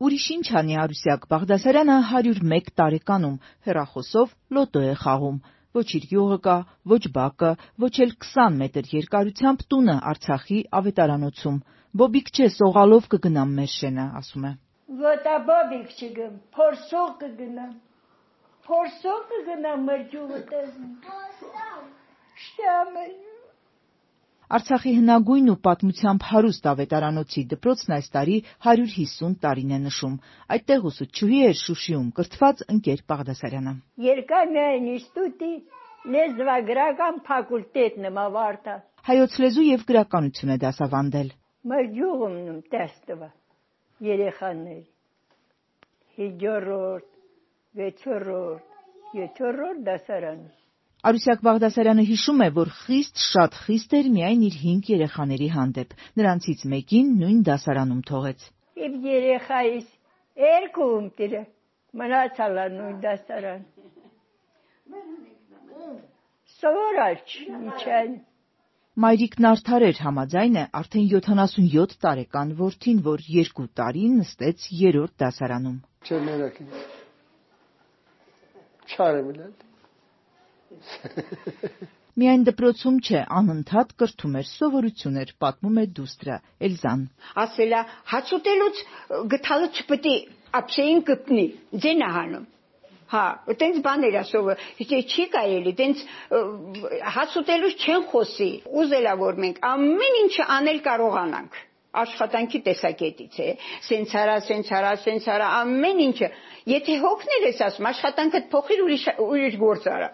Ուրիշ ինչ անի Արուսյակ Բաղդասարյանը 101 տարեկանում հեռախոսով լոտո է խաղում։ Ոչ իր յուղը կա, ոչ բակը, ոչ էլ 20 մետր երկարությամբ տունը Արցախի ավետարանոցում։ Բոբիկ չէ, սողալով կգնամ մեր շենը, ասում է։ Ոտա բոբիկ չգեմ, փորսող կգնամ։ Փորսող կգնամ մեր յուղը տեսնեմ։ Շտամը։ Արցախի հնագույն ու պատմությամբ հարուստ ավետարանոցի դպրոցն այս տարի 150 տարին է նշում։ Այդտեղ ուսուցչուհի էր Շուշիում կրթված ընկեր Բաղդասարյանը։ Երկա միայն ինստիտուտի լեզվագրական ֆակուլտետն եմ ավարտել։ Հայոց լեզու եւ գրականություն է դասավանդել։ Մեր յուղումն տեստվա երեխաների 5-րդ, 6-րդ, 7-րդ դասարան։ Արուսյակ Բաղդասարյանը հիշում է, որ շատ խիստ էր միայն իր 5 երեխաների հանդեպ։ Նրանցից մեկին նույն դասարանում թողեց։ Իմ երեխայիս երկում տիրը մնացալ նույն դասարան։ Սովորալ չիչան։ Մայրիկն արդար էր, համաձայն է արդեն 77 տարեկան որդին, որ 2 տարի նստեց 3-րդ դասարանում։ Միայն դպրոցում չէ, անընդհատ կրթում էր, սովորություն էր, պատմում է դուստրը Էլզան։ Ասելա հաց ուտելուց գթալը չպետք է ապշեին կպնի, ձեն ահանում։ Հա, այտենց բաներ ասովը, չի կարելի, այտենց հաց ուտելուց չեն խոսի։ Ուզելա որ մենք ամեն ինչը անել կարողանանք։ Աշխատանքի տեսակետից է, սենց արա, ամեն ինչը։ Եթե հոգնել ես ասում, աշխատանքդ փոխիր ուրիշ գործ արա։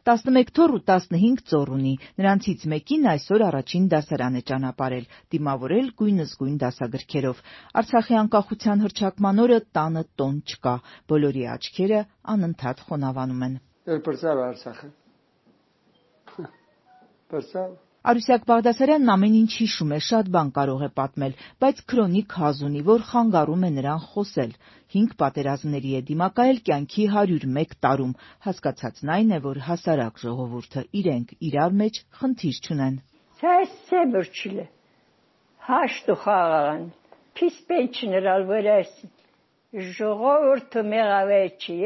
11 թոռ ու 15 ծոռ ունի, նրանցից մեկին այսօր առաջին դասարան է ճանապարհել, դիմավորել գույնզգույն դասագրքերով։ Արցախի անկախության հռչակման օրը տանը տոն չկա, բոլորի աչքերը անընդհատ խոնավանում են։ Արուսյակ Բաղդասարյանն ամեն ինչ հիշում է, շատ բան կարող է պատմել, բայց քրոնիկ հազ ունի, որ խանգարում է նրան խոսել։ 5 պատերազմների է դիմակայել կյանքի 101 տարում, հասկացածն այն է, որ հասարակ ժողովուրդը իրենք իրար մեջ խնդիր չունեն։ Սեբրչիլը հաշտու խաղան, պիսպեչներալ վրաս, ժողովուրդը մեղավեր չի,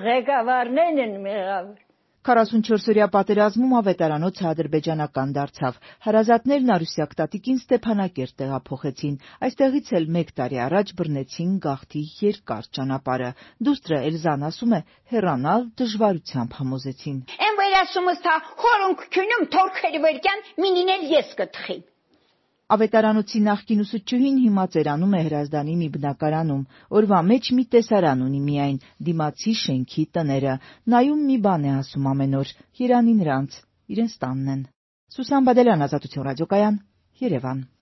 ղեկավարներն են մեղավեր։ 44-օրյա պատերազմում ավետարանոցը ադրբեջանական դարձավ։ Հարազատներն Արուսյակ տատիկին Ստեփանակերտ տեղափոխեցին։ Այստեղից էլ 1 տարի առաջ բռնեցին գաղթի երկար ճանապարհը։ Դուստրը Էլզան ասում է, հեռանալ դժվարությամբ համոզեցին։ Են վեր ասում ըստ խորոնք քյունում թորքերի վերքյան մինինել ես կթխի։ Ավետարանոցի նախկին ուսուցչուհին հիմա ծերանում է Հրազդանի մի բնակարանում։ Օրվա մեջ մի տեսարան ունի միայն, դիմացի շենքի տները։ Նայում մի բան է ասում ամեն օր, երանի նրանց, իրենց տանն են։ Սուսան Բադելյան, Ազատություն ռադիոկայան, Երևան։